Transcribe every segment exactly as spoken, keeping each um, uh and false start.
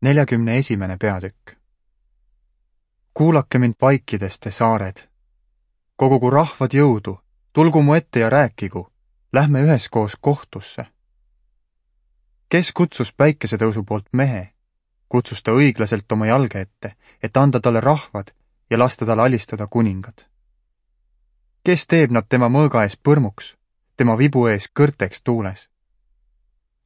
neljakümne esimene peatükk. Kuulake mind vaikides, te saared. Kogugu rahvad jõudu, tulgu mu ette ja rääkigu, lähme üheskoos kohtusse. Kes kutsus päikesetõusu poolt mehe, kutsus ta õiglaselt oma jalge ette, et anda talle rahvad ja lasta tal alistada kuningad. Kes teeb nad tema mõõga ees põrmuks, tema vibu ees kõrteks tuules?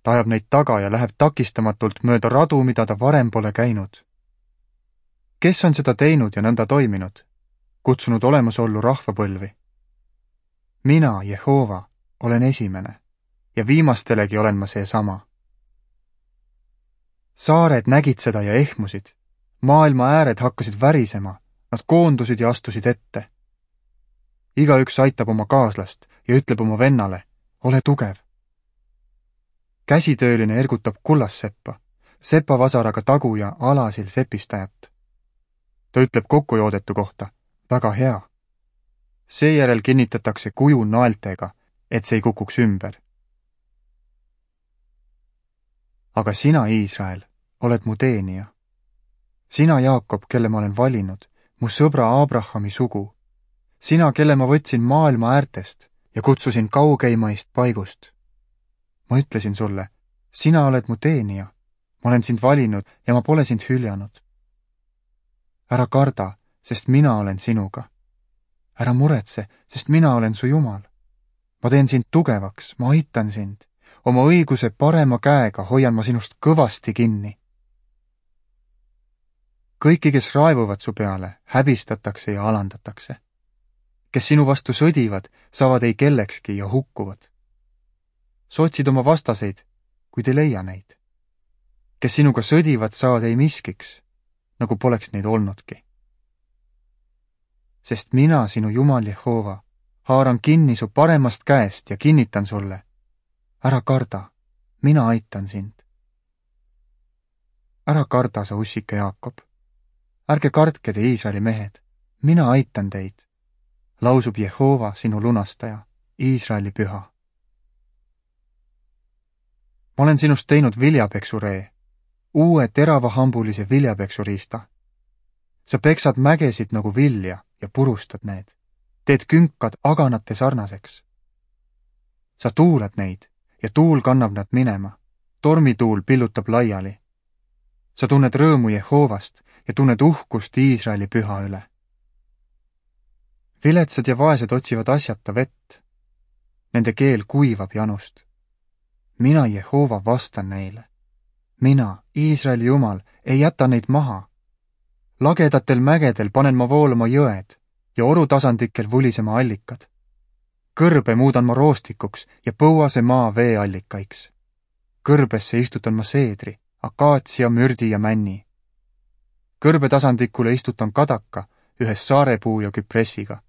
Ta ajab neid taga ja läheb takistamatult mööda radu, mida ta varem pole käinud. Kes on seda teinud ja nõnda toiminud, kutsunud olemasollu rahvapõlvi? Mina, Jehova, olen esimene ja viimastelegi olen ma seesama. Saared nägid seda ja ehmusid, maailma ääred hakkasid värisema, nad koondusid ja astusid ette. Igaüks aitab oma kaaslast ja ütleb oma vennale, ole tugev. Käsitööline ergutab kullasseppa, sepavasaraga tagu ja alasil sepistajat. Ta ütleb kokkujoodetu kohta, väga hea. Seejärel kinnitatakse kuju naeltega, et see ei kukuks ümber. Aga sina, Iisrael, oled mu teenija. Sina, Jaakob, kelle ma olen valinud, mu sõbra Abrahami sugu. Sina, kelle ma võtsin maailma äärtest ja kutsusin kaugeimaist paigust. Ma ütlesin sulle, sina oled mu teenija, ma olen sind valinud ja ma pole sind hüljanud. Ära karda, sest mina olen sinuga. Ära muretse, sest mina olen su Jumal. Ma teen sind tugevaks, ma aitan sind. Oma õiguse parema käega hoian ma sinust kõvasti kinni. Kõiki, kes raevuvad su peale, häbistatakse ja alandatakse. Kes sinu vastu sõdivad, saavad ei kellekski ja hukkuvad. Sa otsid oma vastaseid, kuid ei leia neid. Kes sinuga sõdivad, saavad ei miskiks, nagu poleks neid olnudki. Sest mina, sinu Jumal Jehova, haaran kinni su paremast käest ja kinnitan sulle, ära karda, mina aitan sind. Ära karda, sa ussike Jaakob. Ärge kardke te Iisraeli mehed, mina aitan teid, lausub Jehova, sinu lunastaja, Iisraeli püha. Ma olen sinust teinud viljapeksuree, uue teravahambulise viljapeksuriista. Sa peksad mägesid nagu vilja ja purustad need. Teed künkad aganate sarnaseks. Sa tuulad neid ja tuul kannab nad minema. Tormituul pillutab laiali. Sa tunned rõõmu Jehovast ja tunned uhkust Iisraeli püha üle. Viletsad ja vaesed otsivad asjata vett. Nende keel kuivab janust. Mina, Jehova, vastan neile. Mina, Iisraeli Jumal, ei jäta neid maha. Lagedatel mägedel panen ma voolama jõed ja orutasandikel vulisema allikad. Kõrbe muudan ma roostikuks ja põuase maa veeallikaiks. Kõrbesse istutan ma seedri, akaatsia, mürdi ja männi. Kõrbetasandikule istutan kadaka ühes saarepuu ja küpressiga,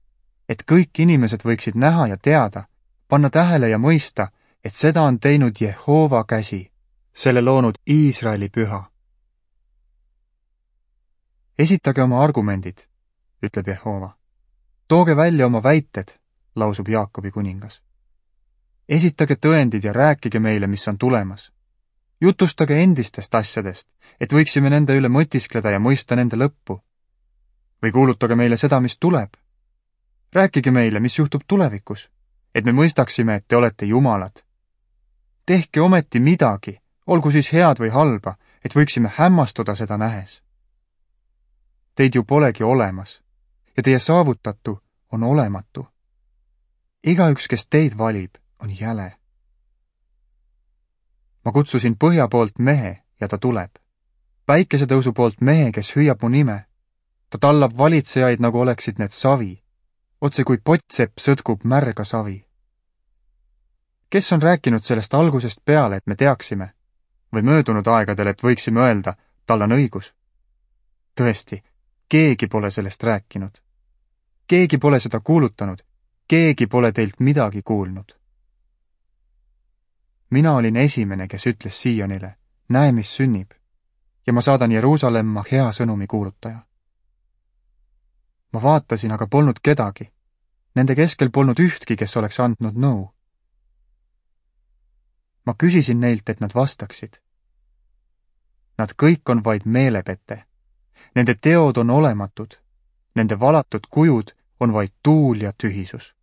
et kõik inimesed võiksid näha ja teada, panna tähele ja mõista, et seda on teinud Jehova käsi, selle loonud Iisraeli püha. Esitage oma argumendid, ütleb Jehova. Tooge välja oma väited, lausub Jaakobi kuningas. Esitage tõendid ja rääkige meile, mis on tulemas. Jutustage endistest asjadest, et võiksime nende üle mõtiskleda ja mõista nende lõppu. Või kuulutage meile seda, mis tuleb. Rääkige meile, mis juhtub tulevikus, et me mõistaksime, et te olete jumalad. Tehke ometi midagi, olgu siis head või halba, et võiksime hämmastuda seda nähes. Teid ju polegi olemas ja teie saavutatu on olematu. Igaüks, kes teid valib, on jäle. Ma kutsusin põhja poolt mehe ja ta tuleb. Päikesetõusu poolt mehe, kes hüüab mu nime. Ta tallab valitsejaid, nagu oleksid need savi. Otse kui pottsepp sõtkub märga savi. Kes on rääkinud sellest algusest peale, et me teaksime? Või möödunud aegadel, et võiksime öelda, tal on õigus? Tõesti, keegi pole sellest rääkinud. Keegi pole seda kuulutanud. Keegi pole teilt midagi kuulnud. Mina olin esimene, kes ütles Siionile, näe, mis sünnib, ja ma saadan Jeruusalemma hea sõnumi kuulutaja. Ma vaatasin, aga polnud kedagi. Nende keskel polnud ühtki, kes oleks andnud nõu. Ma küsisin neilt, et nad vastaksid. nad kõik on vaid meelepete. Nende teod on olematud, nende valatud kujud on vaid tuul ja tühisus.